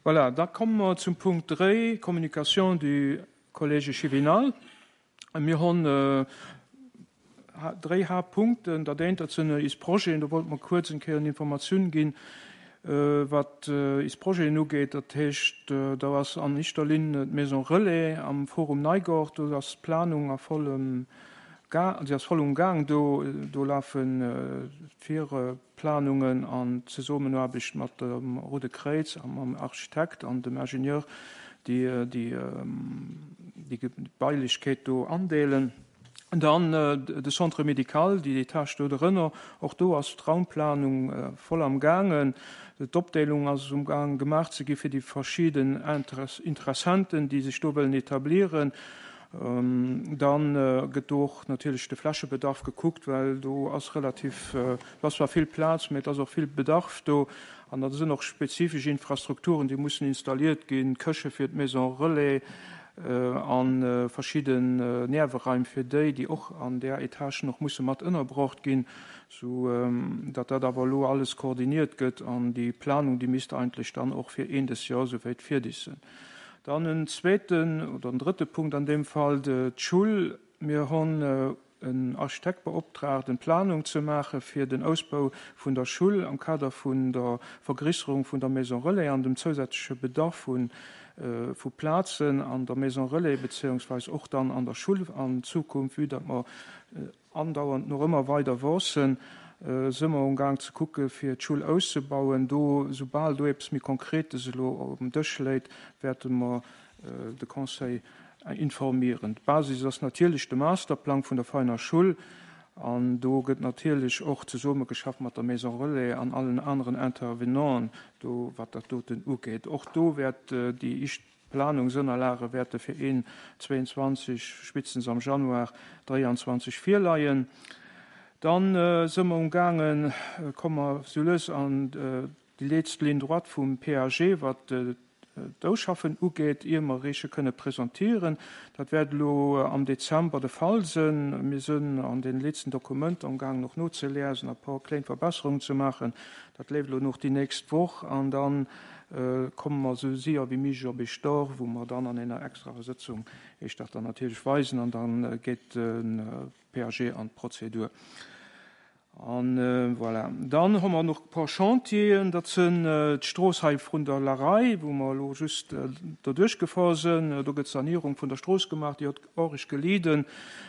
Voilà, da komme mer zum Punkt 3, Communication du Collège échevinal. Mir hunn dréi Haaptpunkten. Dat eent, dat sinn is Projeten. Do wollte mer kuerz eng Kéier en Informatioun ginn, wat is Projeten ugeet. Dat heescht, do ass an éischter Linn d'Maison Relais am Forum Neigort. Do ass d'Planung a vollem Ga-, se ass voll um Gaang. Do, do lafen d'Vir-. Planungen an Zesummenaarbecht mat dem Roude Kréiz a mam Architekt an dem Ingenieur, déi déi Gebailechkeet do andeelen. Dann de Centre médical, déi Etage do drënner, och do ass d'Raumplanung voll am gaangen. D'Opdeelung ass um Gaang gemaach ze gi fir déi verschidden Interessenten, déi sech do wëllen etablieren. Dann gëtt do och natierlech de Flächebedarf gekuckt, well do ass relativ, do ass zwar vill Plaz, mä et ass och vill Bedarf do. An da sinn och spezifesch Infrastrukturen, déi mussen installiert ginn, Këche fir d'Maison relais a verschidden Nerveraim fir déi, déi och an där Etage nach musse mat ënnerbrocht ginn, sou datt dat awer elo alles koordiniert gëtt. An déi Planung, déi misst eigentlech dann och fir een des Joer souwäit fierdeg sinn. Dann en zweeten oder en drëtte Punkt an deem Fall, d'Schull. Mir hunn en Architekt beoptraagt, eng Planung ze maache fir den Ausbau vun der Schull am Kader vun der Vergrisserung vun der Maison relais an dem zousätzleche Bedarf vu Plazen an der Maison relais beziéungsweis och dann an der Schull an Zukunft, vue datt mer Andauernd nach ëmmer weider Avancen si mer um Gaang ze kucke fir d'Schull auszebauen. Do, soubal do eppes méi Konkretes elo um Dësch léit, wäerte mer de Conseil informieren. D'Basis ass natierlech de Masterplang vun der Veiner Schull an do gëtt natierlech och zesummegeschafft mat der Maison Relais an allen aneren Intervenanten do, wat dat doten ugeet. Och do wäert déi éischt D'Planungsënnerlage wäerte fir een 22, spéitstens am Januar 23 virleien. Dann si mer um gaangen, komme mer sou lues an déi letzte Ligne droite vum PAG, wat d'Ausschaffen ugeet, ier mer eréische kënne presentieren. Dat wäert elo am Dezember de Fall sinn. Mir sinn an deene letzten Dokumenter um gaangen och nozeliesen a e puer kléin Verbesserungen ze maachen. Dat leeft elo nach déi nächst Woch an dann komme mer esou séier wéi méiglech op Eech dor, wou mer dann an enger extraer Sëtzung Iech dat dann natierlech weisen an da geet de PAG an d'Prozedur. An voilà. Dann hu mer nach e paar Chantieren, dat sinn d'Strooss hei vrun der Larei, wou mer elo just doduerch gefahr sinn. Do gëtt d'Sanierung vun der Strooss gemaach, déi huet arg gelidden,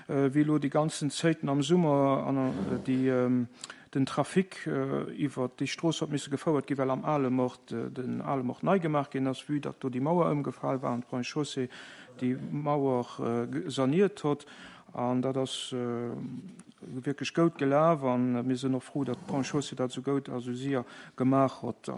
wéi elo déi ganzen Zéiten am Summer an déi den Trafic iwwert déi Strooss huet misse gefouert ginn, well am Alemort den Alemort nei gemaach ginn ass, vue datt do déi Mauer ëmgefal war an d'Ponts et Chaussées déi Mauer saniert hott. An dat ass wierklech goud gelaf a mir sinn och frou, datt d'Ponts et Chaussées dat esou goud a esou séier gemaach hott.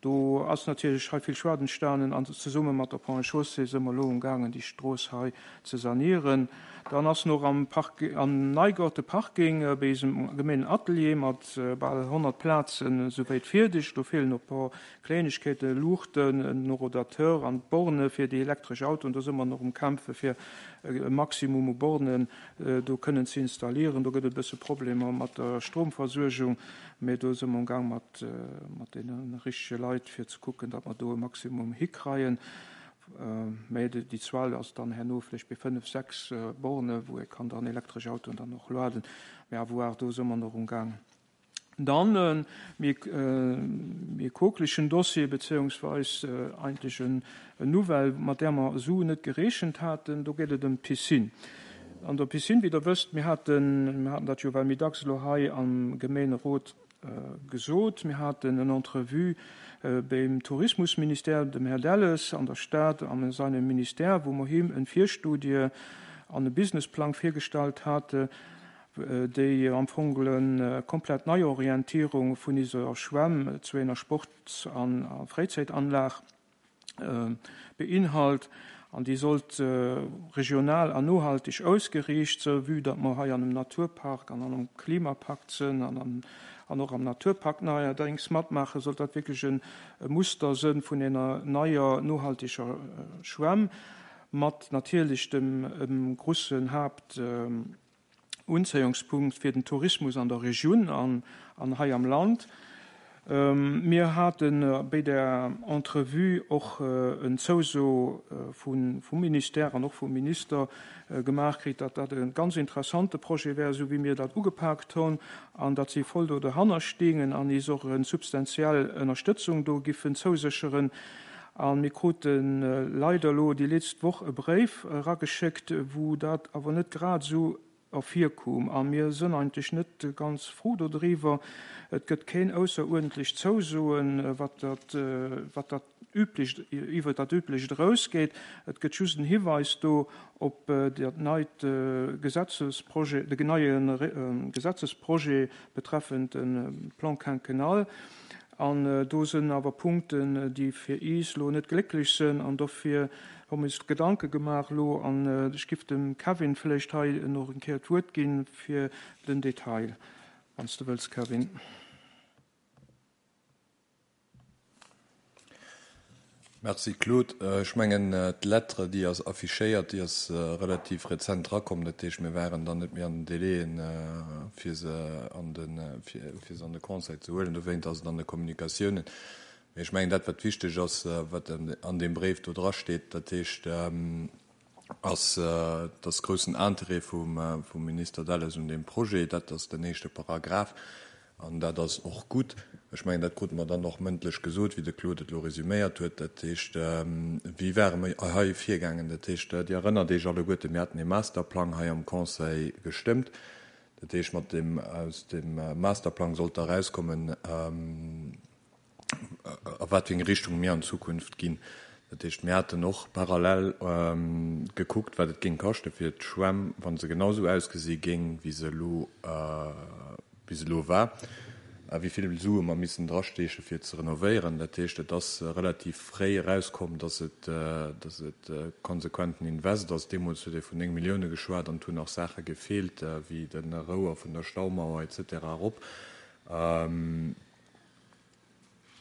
Do ass natierlech hei vill Schued entstanen an zesumme mat der Ponts et Chaussées si mer elo um gaangen déi Strooss hei ze sanieren. Dann ass nach am Park, am Neigaart de Parking bei eisem Gemeenatelier mat bal 100 Plazen esouwäit fierdeg. Do feelen nach e paar Kleenegkeeten, Luuchten, en Horodateur an d'Borne fir déi elektresch Autoen. Do si mer nach um kämpfe fir e Maximum u Bornen do kënnen ze installieren. Do gëtt et e bësse Problemer mat der Stromversuergung. Mee do si mer um Gang mat deene richtege Leit, fir ze kucken, datt mer do e Maximum hikreien. Mee déi Zuel ass dann herno vläicht bei fënnf, sechs Borne, wou ee kann dann elektresch Autoen dann och lueden. Mee à voir, do si mer nach um Gang. Dann e méi quokelichen Dossier, beziéungsweis eigentlech en Nouvelle, mat där mer esou net gerechent haten. Do geet et ëm d'Piscine. An der Piscine, wéi Der wësst, mir haten, mir haten dat jo well méi dacks elo hei am Gemeenerot gesot, mir haten en Entrevue beim Tourismusministère, dem Här Delles, an der Stad a seinem Ministère, wou mer him en Virstudie an e Businessplang virgestallt hate, déi am Fong e komplett Neiorientierung vun iser Schwämm zu enger Sports a Fréizäitanlag beinhalt an déi sollt regional an nohalteg ausgeriicht sënn, vue datt mer hei an einem Naturpark an an einem Klimapakt sënn an an och am Naturpakt neierdéngs matmaachen, sollt dat wierklech e Muster sënn vun enger neier nohalteger Schwämm mat natierlech dem grussen Haapt Unzéiungspunkt fir den Tourismus an der Regioun an hei am Land. Mir hate béi där Entrevue och en Zouso vum Ministère an och vum Minister gemaach kritt, datt dat e ganz interessante Projet wär, esou wéi mir dat ugepaakt hunn, an datt si voll do derhanner stingen an is och e substantiell Ënnerstëtzung do giffen zousécheren. A mir krute leider elo déi letzt Woch e Bréif erageschéckt, wou dat awer net grad esou ervirkoom. A mir sënn eigentlech net ganz frou dodriwwer. Et gëtt keen ausseruerdentlech Zousoen, wat dat, wat dat Üblecht, iwwer dat Üblecht erausgeet. Et gëtt just en Hiweis do op dat neit Gesetzesprojet, de neie Gesetzesprojet betreffend de Plan quinquennal. An do sënn awer Punkten, déi fir iis lo net glécklech sënn, an dofir hu mir is Gedanke gemaach lo, an ech giff dem Kevin vläicht hei nach eng Kéier d'Wuert ginn fir den Detail, wann s de wëlls, Kevin. Merci Claude. Ech mengen d'Lettre déi ass affichéiert, déi ass relativ rezent erakomm. Dat heescht mir waren dann net méi an den Délaiën fir se an de fir se an de Conseil ze huelen. Dowéint ass et an de Kommunikatiounen. Mee ech mengen dat wat wichteg ass, wat an deem Bréif do drasteet, dat heescht, ass dass groussen Interêt vum Minister Delles un deem Projet. Dat ass den éischte Paragraph an dat ass och gutt. Ech mengen, dat krute mer dann och mëndlech gesot, wéi de Claude et elo resüméiert huet. Dat heescht, wéi ware mer hei virgaangen? Dat heescht, Dir erënnert Iech alleguerten, mir haten ee Masterplang hei am Conseil gestëmmt. Dat heescht, mat deem, aus deem Masterplang sollt da erauskommen, a wat fir eng Richtung mir an Zukunft ginn. Dat heescht, mir haten och parallel gekuckt, wat et géing kaschte fir d'Schwämm, wa se genau esou ausgesi géing, wéi se elo, wéi se elo war, a wéi vill Sue mer missen drasteeche fir et ze renovéieren. Dat heescht, et ass relativ fréi erauskomm, dass et, dass et konsequenten Invest ass. Deemools huet ee vun 9 Millioune geschwat an et hunn nach Saache gefeelt, wéi de Rouer vun der Staumauer et cetera erop.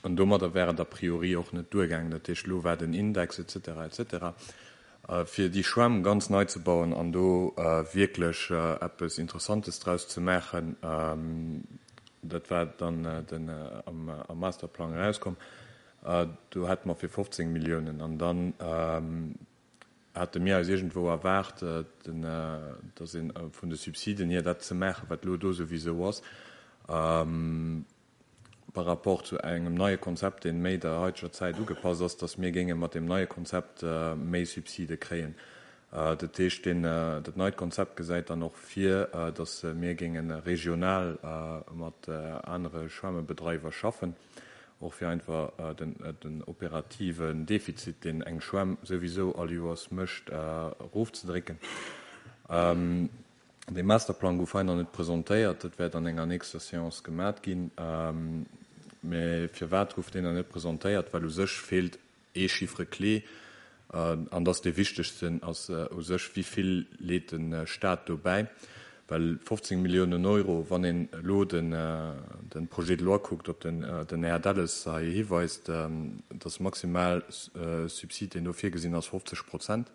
An domadder wär et a priori och net duergaangen. Dat heescht, elo war den Index et cetera et cetera. Fir déi Schwämm ganz nei ze bauen an do wierklech eppes Interessantes draus ze maachen, dat war dann den am Masterplang erauskomm, do hätte mer fir 15 Milliounen. An dann hate mir eis iergendwou erwaart, dass ee vun de Subsiden hier dat ze maachen, wat elo do souwisou ass, par rapport zu engem neie Konzept, dee méi der haiteger Zäit ugepasst ass, dass mir géinge mat deem neie Konzept méi Subside kréien. Dat heescht, deen, dat neit Konzept gesäit dann och vir, dass mir géinge regional mat anere Schwämmebedreiwer schaffen, och fir einfach den, den operativen Defizit, deen eng Schwämm souwisou all Joers mécht, erofzedrécken. Dee Masterplang gouf hei nach net presentéiert. Dat wäert an enger nächster Séance gemat ginn. Mä firwat gouf deen nach net presentéiert? Well u sech feelt ee Chiffre clé, an dat ass dee wichtegsten, ass u sech, Wéi vill leet de Stat do bäi? Well 15 Milliounen Euro, wann een elo de Projet de loi kuckt, op den den Här Delles hei hiweist, dass maximal Subsid, deen do virgesinn ass, 50 Prozent.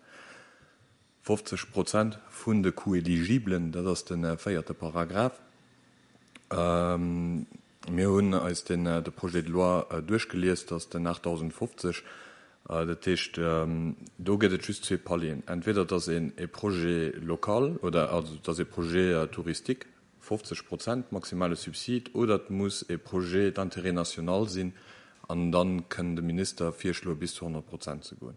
50 Prozent vun de Coûts éligiblen, dat ass de véierte Paragraph. Mir hunn eis den de Projet de loi duerchgelies, dat ass den 8050. Dat heescht, do gëtt et just zwee Palieren. Entweder et ass een e Projet local oder also et ass e Projet touristique, 50 Prozent maximale Subsid, oder et muss e Projet d'intérêt national sinn an da kënn de Minister virschloe bis zu 100 Prozent ze goen.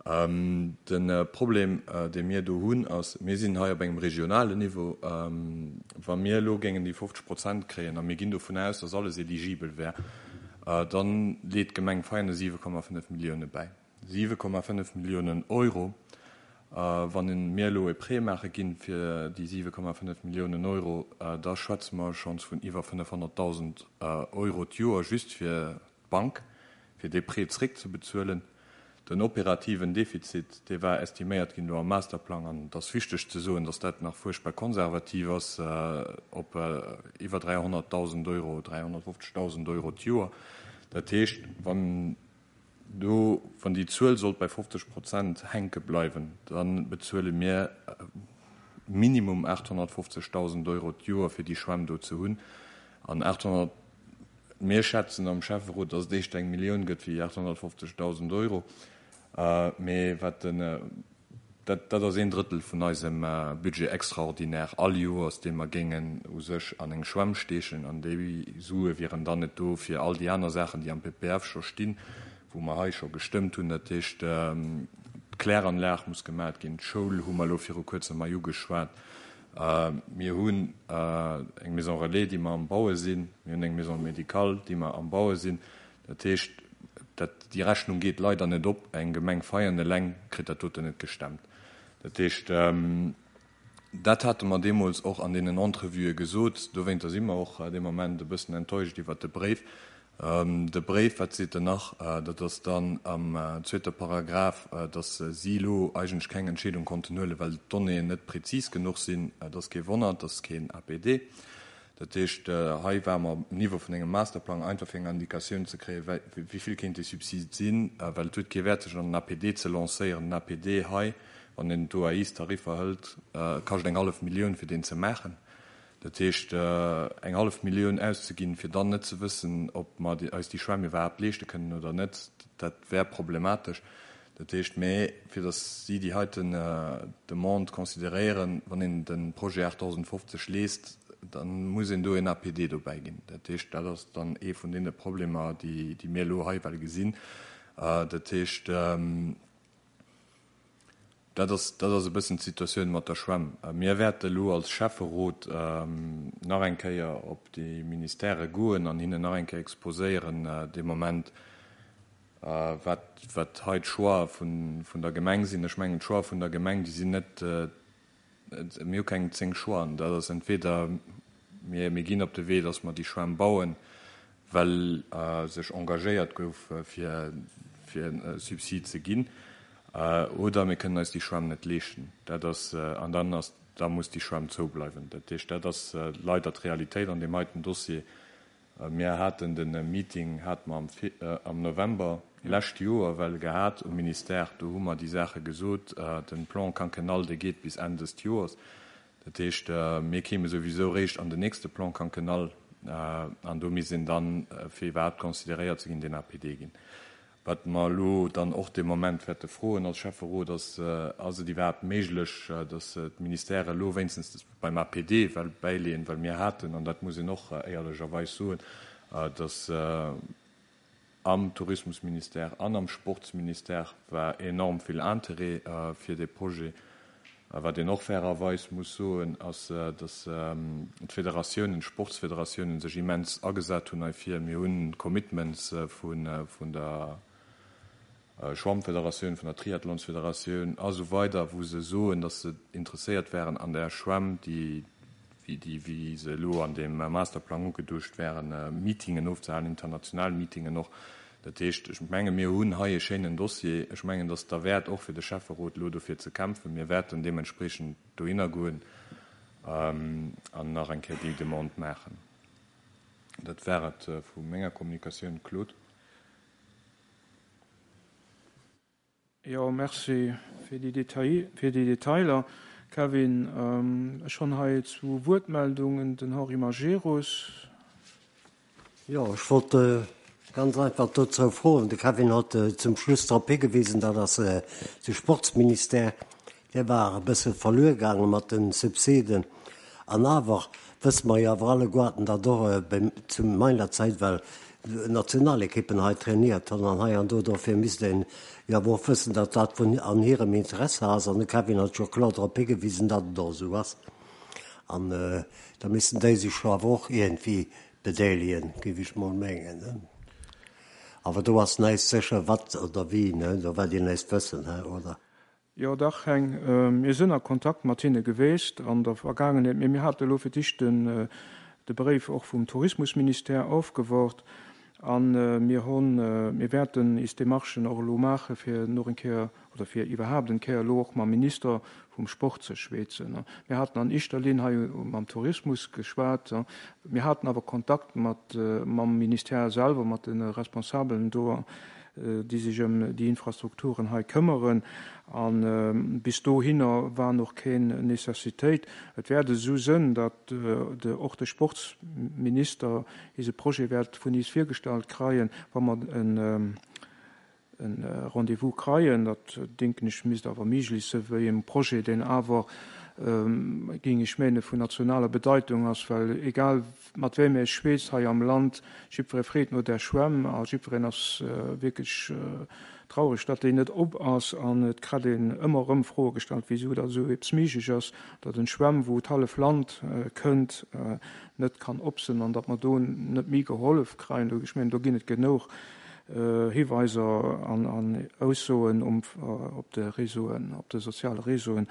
De Problem, dee mir do hunn, ass, mir sinn hei op engem regionalen Niveau. Wa mir elo géingen déi 50 Prozent kréien, a mir ginn dovun aus, datt alles eligibel wär, da leet d'Gemeng Veianen 7,5 Millioune bäi. 7,5 Milliounen Euro! Wann mir elo e Prêt maache ginn fir déi 7,5 Milliounen Euro, da schwätze mer schonns vun iwwer 500.000 Euro d'Joer just fir d'Bank, fir dee Prêt zréckzebezuelen. Den operativen Defizit, dee war estiméiert ginn elo am Masterplang, an et ass wichteg ze soen, datt dat nach fuerchtbar konservativ ass, op iwwer 300.000 Euro, 350.000 Euro d'Joer. Dat heescht, wann do, wann déi Zuel sollt bei 50 Prozent hänke bleiwen, da bezuele mir minimum 850.000 Euro d'Joer, fir déi Schwämm do ze hunn. An 800. Mir schätzen am Schäfferot, dass et éischter eng Millioun gëtt wéi 850.000 Euro. Mee wat den, dat, dat ass een Drëttel vun eisem Budget extraordinaire all Joers, dee mer géingen u sech an eng Schwämm steechen. An déi Sue wieren dann net do fir all déi aner Saachen, déi am PPF scho stinn, wou mer hei scho gestëmmt hunn. Dat heescht, d'Kläranlag muss gemat ginn, d'Schoul hu mer elo viru Kuerzem hei ugeschwat. Mir hunn eng Maison relais, déi mer am Baue sinn. Mir hunn eng Maison médicale, déi mer am Baue sinn. Dat heescht, dat, déi Rechnung geet leider net op. Eng Gemeng Veianen eleng kritt dat doten net gestemmt. Dat heescht, dat hate mer deemools och an deenen Entrevuë gesot. Dowéinter si mer och dee Moment e bëssen enttäuscht iwwert de Bréif. De Bréif, wat seet en nach? Dat ass dann am zweete Paragraph, dass si elo eigentlech keng Entscheedung konnten huelen, well d'Donnéeën net prezis genuch sinn. Et ass kee Wonner, et ass keen APD. Dat heescht, hei ware mer um Niveau vun engem Masterplang, einfach fir eng Indikatioun ze kréien, wéi vill kéint dee Subsid sinn, well et huet kee Wäert, sech an den APD ze lancéieren. Den APD hei, wann een d'OAIs-Tariffer hëlt, kascht eng hallef Millioun, fir deen ze maachen. Dat heescht, eng hallef Millioun auszeginn, fir dann net ze wëssen, ob mer eis déi Schwämm iwwerhaapt leeschte kënnen oder net, dat wär problematesch. Dat heescht, mä fir datt si déi heiten Demande consideréieren, wann een de Projet 8050 liest, da muss een do en APD dobäi ginn. Dat heescht, dat ass dann ee vun deene Problemer, déi mir elo hei well gesinn. Dat heescht. Dat ass, dat ass e bëssen d'Situatioun mat der Schwämm. Mir wäerte elo als Schäfferot nach eng Kéier op déi Ministèrë goen an hinnen nach eng Kéier exposéieren dee Moment, wat, wat hei d'Choix vun, vun der Gemeng sinn. Ech mengen, d'Choix vun der Gemeng, déi sinn net, Mir hu keng 10 Choixen. Dat ass entweder mir, mir ginn op de Wee, datt mer déi Schwämm bauen, well sech engagéiert gouf, fir, fir e Subsid ze ginn, oder mir kënnen eis déi Schwämm net leeschten. Dat ass, an dann ass, da muss déi Schwämm zoubleiwen. Dat heescht, dat ass leider d'Realitéit an deem heiten Dossier. Mir haten de Meeting hate mer am November lescht Joer well gehat um Ministère. Do hu mer déi Saache gesot. De Plan quinquennal, dee geet bis Enn dëst Joers. Dat heescht, mir kéime souwisou réischt an den nächste Plan quinquennal an do misst een dann, fir iwwerhaapt consideréiert ze ginn, deen APD ginn. Wat mer elo dann och dee Moment wäerte froen als Schäfferot, ass, Ass et iwwerhaapt méiglech, dass d'Ministèrë elo wéinstens beim APD well bäileeën? Well mir haten, an dat muss een och éierlecherweis soen, dass am Tourismusministère an am Sportsministère war enorm vill Interêt fir dee Projet. Wat een och fairerweis muss soen, ass, dass d'Federatiounen, d'Sportsfederatiounen sech immens agesat hunn heifir. Mir hunn Commitments vun der Schwammfederatioun, vun der Triathlonsfederatioun a sou weider, wou se soen, dass se interesséiert wären an där Schwämm, déi, wéi déi, wéi se elo an deem Masterplang ugeduecht wären, Meetingen ofzehalen, international Meetingen och. Dat heescht, ech menge mir hunn hei e schéinen Dossier. Ech mengen, et ass derwäert och fir de Schäfferot elo dofir ze kämpfen. Mir wäerten deementspreechend dohinner goen an nach eng Kéier déi Demande maachen. Dat war et vu menger Kommunikatioun. Claude. Jo, merci fir déi Detail, fir déi Detailer, Kevin. Ech hunn hei zwou Wuertmeldungen, den Henri Majerus. Jo, ech wollt ganz einfach dozou froen, de Kevin huet zum Schluss drop higewisen, dat ass de Sportsministère, dee war e bësse verluer gaange mat de Subsiden. An awer wësse mer jo awer alleguerten, datt och zu meiner Zäit well Nationalekippen hei trainiert hunn an hei an do. Dofir misst een jo awer och wëssen, datt dat vun an hirem Interesse ass. An de Kevin huet jo kloer drop higewisen, datt et och esou ass. An da missten déi sech jo awer och iergendwéi bedeelegen, géif ech mol mengen. Awer do ass näischt sécher, wat oder wéi, do wäert Dir näischt wëssen, oder? Jo dach Heng, mir sënn a Kontakt mat hinne geweest an der Vergaangenheet, mee mir hate elo fir d'éischt den de Bréif och vum Tourismusministère ofgewort an mir honn, mir wäerten is Demarchen och elo maache fir noch eng Kéier oder fir iwwerhaapt en Kéier elo och mam Minister vum Sport ze schweetzen. Mir haten an éischter Linn hei mam Tourismus geschwat, mir haten awer Kontakt mat mam Ministère selwer, mat de Responsabelen do. déi sech ëm déi Infrastrukturen hei këmmeren. A bis dohinner war och keng Necessitéit. Et wäert esou sënn, datt och de Sportsminister ise Projet wäert vun is virgestallt kreien, wa mer en Rendez-vous kreien. Dat, denken ech, misst awer méiglech sënn, wéi engem Projet, deen awer, géing ech menen, vun nationaler Bedeitung ass, well egal Mat wéi méi Schweess hei am Land. Jiddweree freet no där Schwämm a jiddwereen ass wierklech traureg, datt déi net op ass. An et kritt een ëmmer erëm Froe gestallt, wisou datt esou eppes méiglech ass, datt en Schwämm, wou d'hallef Land kënnt, net kann op sinn an datt mer do net méi gehollef kreien. Ech mengen, do ginn et genouch Hiweiser an Aussoen op de Réseauen, op de soziale Réseauen.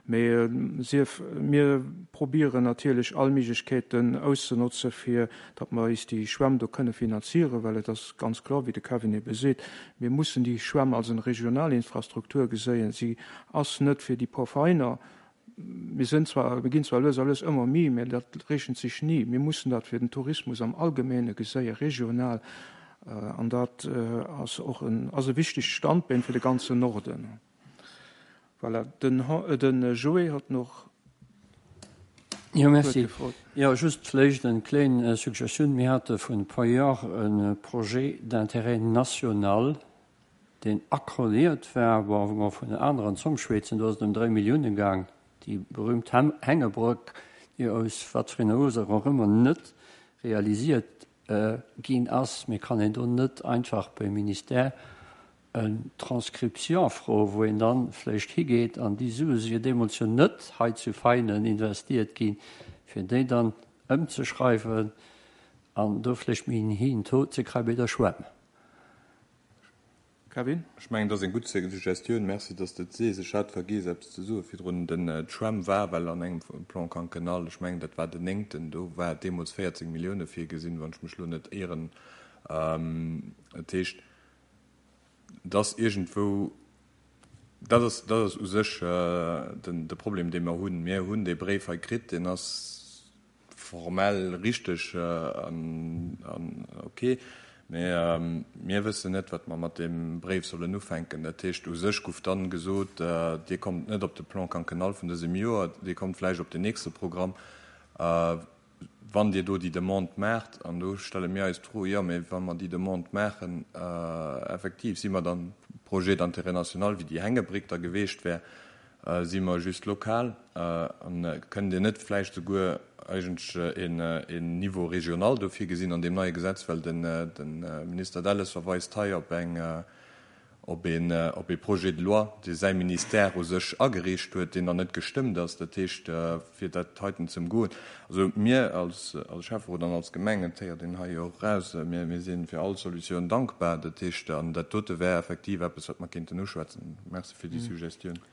Mee sief, mir probieren natierlech all Méiglechkeeten auszenotze fir datt mer eis déi Schwämm do kënne finanzieren, well et ass ganz kloer, wéi de Kevin ebe seet, mir mussen déi Schwämm als eng regional Infrastruktur geséien. Si ass net fir déi puer Veräiner. Mir sinn zwar, mir ginn zwar lues a lues ëmmer méi, mä dat rechent sech ni. Mir mussen dat fir den Tourismus am Allgemeene geséien, regional, an dat ass och en, ass e wichtegt Standbeen fir de ganzen Norden. Voilà, den, den Joé hat nach Jo, merci. Jo, just vléicht eng kléin Suggestioun. Mir hate vun e puer Joer e Projet d'intérêt national, deen accordéiert war, bon, wou mer vun aneren Zomm schwätzen, do ass et ëm 3 Milliounen gaang, déi berühmt Hängebrëck, déi aus wat fir enger Ursaach och ëmmer net realisiert ginn ass. Mee kann een do net einfach beim Ministère en Transcription froen, wou een dann vläicht higeet, an déi Sue si jo deemools jo net hei zu Veinen investiert ginn, fir déi dann ëmzeschreiwen an do vläicht méi en héijen Taux ze kréie bei der Schwämm. Kevin? Ech mengen, dat ass eng gutt Suggestioun. Merci, dass de et sees. Ech hat vergiess, eppes ze soe virdrun. Den, d'Schwämm war well an engem Plan quinquennal, ech mengen, dat war den néngten, do war deemools 14 Millioune virgesinn, wann ech mech elo net ieren. Dat heescht, dass iergendwou, dat ass, dat ass u sech den, de Problem, dee mer hunn. Mir hunn dee Bréif hei kritt, deen ass formell richteg an, an ok, mä mir wëssen net, wat mer mat deem Bréif sollen ufänken. Dat heescht, u sech guff dann gesot, Dir kommt net op de Plan quinquennal vun dësem Joer, Dir kommt vläicht op den nächste Programm. Wann Dir do déi Demande maacht, an do stelle mir eis d'Fro, jo, mä wa mer déi Demande maachen, effektiv, si mer dann Projet d'intérêt national, wéi déi Hängebréck da geweecht wär, si mer just lokal? An kënnt Dir net vläicht souguer eigentlech een Niveau régional do virgesinn an deem neie Gesetz, well de Minister Delles verweist hei op eng, op een, op ee Projet de loi, dee säi Ministère u sech agereecht huet, deen nach net gestëmmt ass, dat heescht, fir dat heiten ze ëmgoen. Also mir als, als Schäfferot an als Gemeng, et héiert een hei jo och eraus, mir, mir si fir all Solutioun dankbar. Dat heescht, an dat dote wär effektiv eppes, wat mer kéinten uschwätzen. Merci fir déi Suggestioun.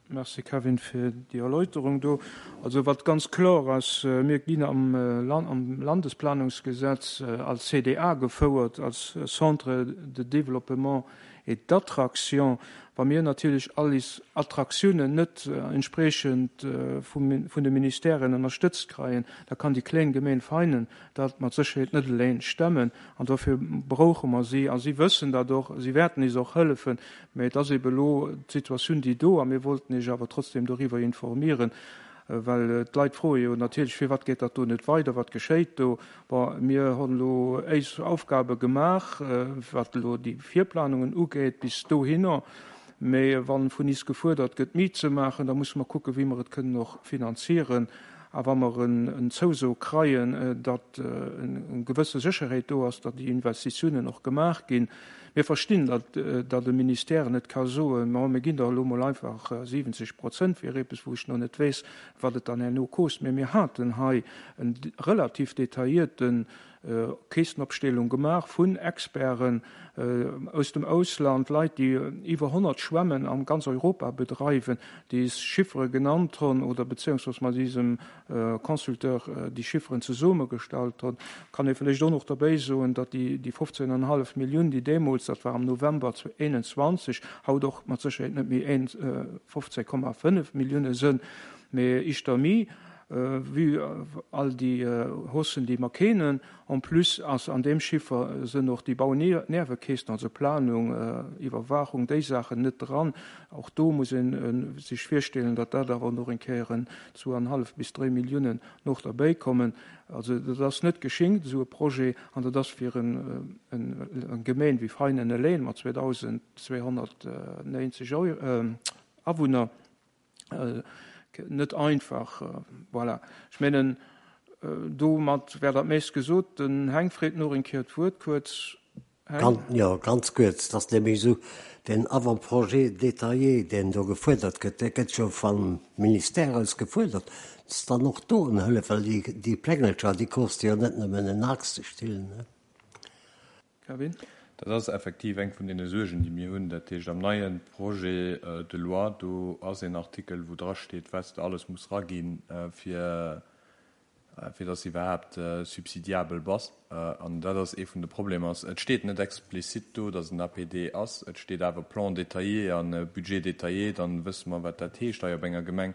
Merci Kevin fir déi Erläuterung do. Also wat ganz kloer ass, mir ginn am am Landesplanungsgesetz als CDA gefouert, als Centre de développement et d'attraction. Wa mir natierlech all is Attraktiounen net entspriechend vum vun de Ministèren ënnerstëtzt kreien, da kann déi kléng Gemeen Veinen dat mat Sécherheet net eleng stemmen. An dofir brauche mer si. A si wëssen dat och, si wäerten is och hëllefen. Mä et ass ebe elo d'Situatioun, déi do, a mir wollten Iech awer trotzdem doriwwer informieren, well d'Leit froe jo natierlech, Firwat geet dat do net weider, wat geschéit do? Bon, mir hunn elo éis Aufgabe gemaach, wat elo déi Virplanungen ugeet, bis dohinner. Mä wa vun is gefuerdert gëtt, méi ze maachen, da musse mer kucken, wéi mer et kënnen och finanzieren. A wa mer en Zouso kreien, datt eng gewësse Sécherheet do ass, datt déi Investitiounen och gemaach ginn, Mir verstinn, datt datt e Ministère net ka soen, Ma mir ginn der elo mol einfach 70 Prozent fir eppes, wou ech nach net weess, wat et dann herno kost. Mä mir haten hei en relativ detaillierten Keessenopstellung gemaach vun Experten aus dem Ausland, Leit, déi iwwer 100 Schwämmen a ganz Europa bedreiwen, déi es Chiffere genannt hunn oder beziehungsweise mat diesem Consulteur déi Chifferen zesummegestallt hunn. Kann ee vläicht och nach derbäi soen, datt déi 15,5 Millioun, déi deemools, dat war am November 2021, haut och mat Sécherheet net méi 15,5 Millioune sënn, mee ischter méi. Vue all déi Haussen, déi mer keenen. En plus ass an deem Chiffer sënn och déi Bauniewekeesten, also Planung, Iwwerwaachung, déi Saachen net dran. Och do muss ee sech virstellen, datt dat awer nach eng Kéier en zwouanhallef bis dréi Milliounen noch derbäikommen. Also dat ass net geschinkt, esou e Projet, an dat ass fir eng Gemeen wéi Veinen eleng mat 2.290 Awunner net einfach. Voilà, ech mengen, domat wär dat meescht gesot. Den Heng freet nach eng Kéier d'Wuert kuerz. Heng? Jo, ganz kuerz. Et ass nämlech esou, deen Avant-projet détaillé, deen do gefuerdert gëtt, dee gëtt jo vum Ministère aus gefuerdert. Dass dann och do en Hëllef, well déi Plengelcher, déi koste jo net nëmmen en Aaxtestill, ne? Kevin? Dat ass effektiv eng vun deene Suergen, déi mir hunn. Dat heescht, am neie Projet de loi, do ass een Artikel, wou drasteet, wat s de alles muss raginn, fir, fir dass s iwwerhaapt subsidiabel bass. An dat ass ee vun de Problemer. Et steet net explizit do, dass en APD ass. Et steet awer Plan détaillé a Budget détaillé. Dann wësse mer, wat dat heescht hei op enger Gemeng.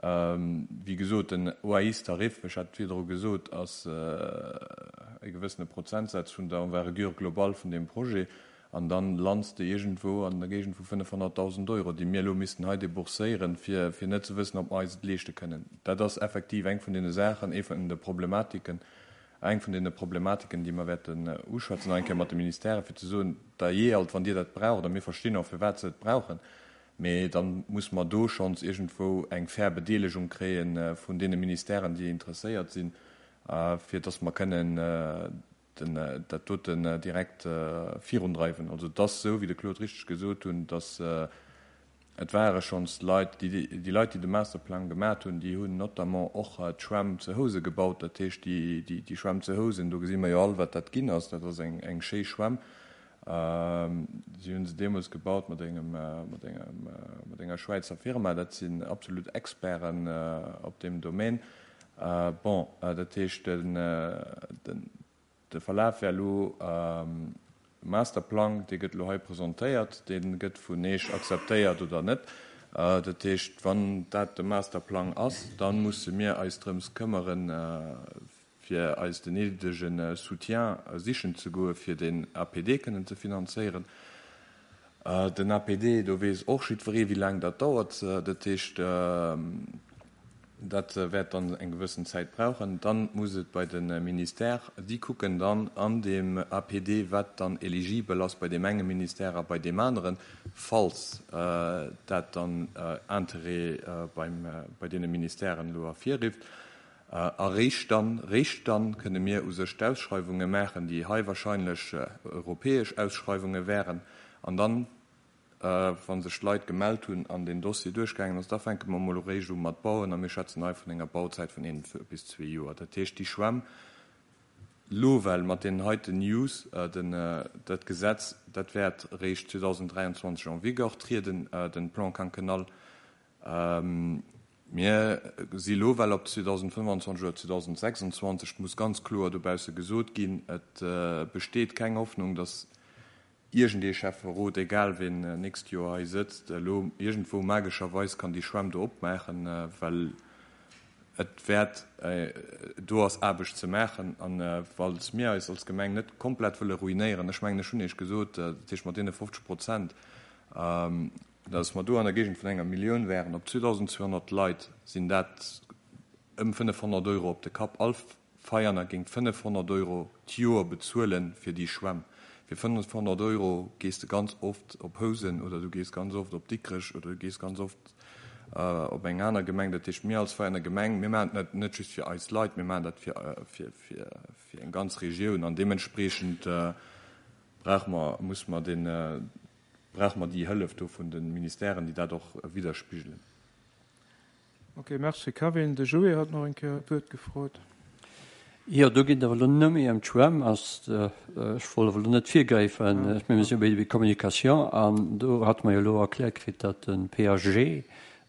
Wéi gesot, den OAIS-Tarif, ech hat et virdru gesot, ass e gewëssene Prozentsaz vun der Envergure globale vun deem Projet. An dann lands de iergendwou an der Géigend vu 500.000 Euro, déi mir elo missten hei débourséieren, fir net ze wëssen, ob mer eis et leeschte kënnen. Dat ass effektiv eng vun deene Saachen, ee vun de Problematiken, eng vun deene Problematiken, déi mer wäerten uschwätzen, nach eng Kéier mat de Ministèren, fir ze soen, Dajee alt, wann Dir dat braucht, a mir verstinn och, firwat se et brauchen, Mee da muss mer do schonns iergendwou eng fair Bedeelegung kréie vun deene Ministèren, déi interesséiert sinn, fir dass mer kënnen dat doten direkt virundreiwen. Also et ass esou, wéi de Claude richteg gesot hunn, dass et ware schonns Leit, déi Leit, déi de Masterplang gemat hunn, déi hunn notamment och d'Schwämm zu Housen gebaut. Dat heescht, déi Schwämm zu Housen, do gesi mer jo all, wat dat ginn ass. Dat ass eng schéi Schwämm. Si hunn se deemools gebaut mat engem, mat engem, mat enger Schwäizer Firma. Dat sinn absolut Experten op deem Domaine. Bon, dat heescht, den, den, de Verlaf wär elo, Masterplang, dee gëtt elo hei presentéiert, dee gëtt vun Eech akzeptéiert oder net. Dat heescht, wann dat de Masterplang ass, da musse mir eis drëms këmmeren, fir eis den néidege Soutien sichen ze goe fir den APD kënnen ze finanzéieren. Den APD, do weess och jiddweree wéi laang dat dauert. Dat heescht, dat wäert dann eng gewëssen Zäit brauchen. Dann muss et bei de Ministère, déi kucken dann an deem APD, wat dann eligibel ass bei deem enge Ministère a bei deem aneren, falls dat dann Interêt bei deene Ministèren elo ervirrifft. A réischt dann, réischt dann kënne mir u sech d'Ausschreiwunge maachen, déi hei wahrscheinlech europäesch Ausschreiwunge wären. An dann, wa sech d'Leit gemellt hunn an deen Dossier duerchgaangen ass, da fänke mer emol eréischt u mat bauen. A mir schwätzen hei vun enger Bauzäit vun een bis zwee Joer. Dat heescht, déi Schwämm elo well mat deenen heiten News, den, dat Gesetz, dat wäert eréischt 2023 en vigueur trieden, den Plan quinquennal. Mir si lo well op 2025 oder 2026, et muss ganz kloer dobausse gesot ginn, et besteet keng Hoffnung, datt iergendee Schäfferot, egal wien nächst Joer hei sëtzt, elo iergendwou magescherweis kann déi Schwämm do opmaachen, well et wäert, do ass Aarbecht ze maachen. A falls mir eis als Gemeng net komplett wëlle ruinéieren, ech mengen, ech hunn Iech gesot, dat heescht mat deene 50 Prozent, Dass mer do an der Géigend vun enger Millioun wären, op 2.200 Leit sinn dat ëm 500 Euro op de Kapp. All Veianer géing 500 Euro d'Joer bezuele fir déi Schwämm. Fir 500 Euro gees de ganz oft op Housen oder du gees ganz oft op Dikrech oder du gees ganz oft op eng aner Gemeng. Dat heescht, mir als Veianer Gemeng, mir maachen dat net just fir eis Leit, mir maachen dat fir eng ganz Regioun an deementspreechend brauche mer, musse mer deen, Brauche mer déi Hëllef do vun de Ministèren, déi dat och widderspigelen. Ok, merci Kevin. De Joé hat nach eng Kéier d'Wuert gefrot. Jo, do geet et awer elo net méi ëm d'Schwämm. Ech wollt awer elo net virgräifen, mä mir si jo bei der Communication an do hate mer jo elo erkläert kritt, datt de PAG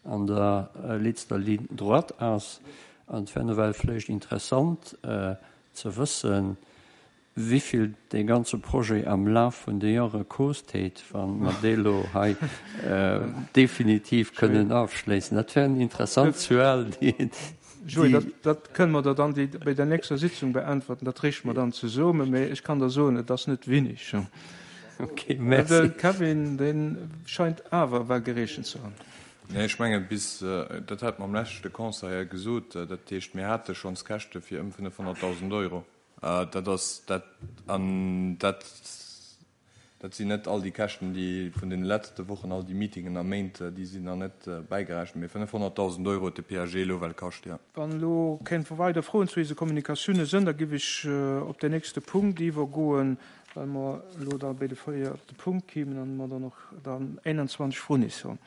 an der letzter Ligne droite ass. An et wär nawell vläicht interessant ze wëssen, Wivill dee ganze Projet am Laf vun de Jore koost huet, wa mer dee lo hei definitiv kënnen ofschléissen. Dat wär eng interessant Zuel, déi een. Joé, dat, dat kënne mer der dann déi, bei der nächster Sitzung beäntwerten. Dat reeche mer dann zesummen. Mä ech kann der soen, et ass net wenig. Okay, merci. De Kevin, dee scheint awer well gerechent ze hunn. Nee, ech mengen, bis, dat hat mer am leschte Conseil gesot, dat heescht, mir hate schonns Käschte fir ëm 500.000 Euro. Dat ass dat, an dat, dat sinn net all déi Käschten, déi vun deene letzte Wochen, all déi Meetingen a Méint, déi sinn nach net bäigerechent, mee 500.000 Euro huet de PAG elo well kascht, jo. Wann elo keng weider Froen zu eise Kommunikatiounen sënn, da giff ech op den nächste Punkt iwwergoen, well mer elo da bei de véierte Punkt kimen an mer dann och dann 21 vrun is hunn.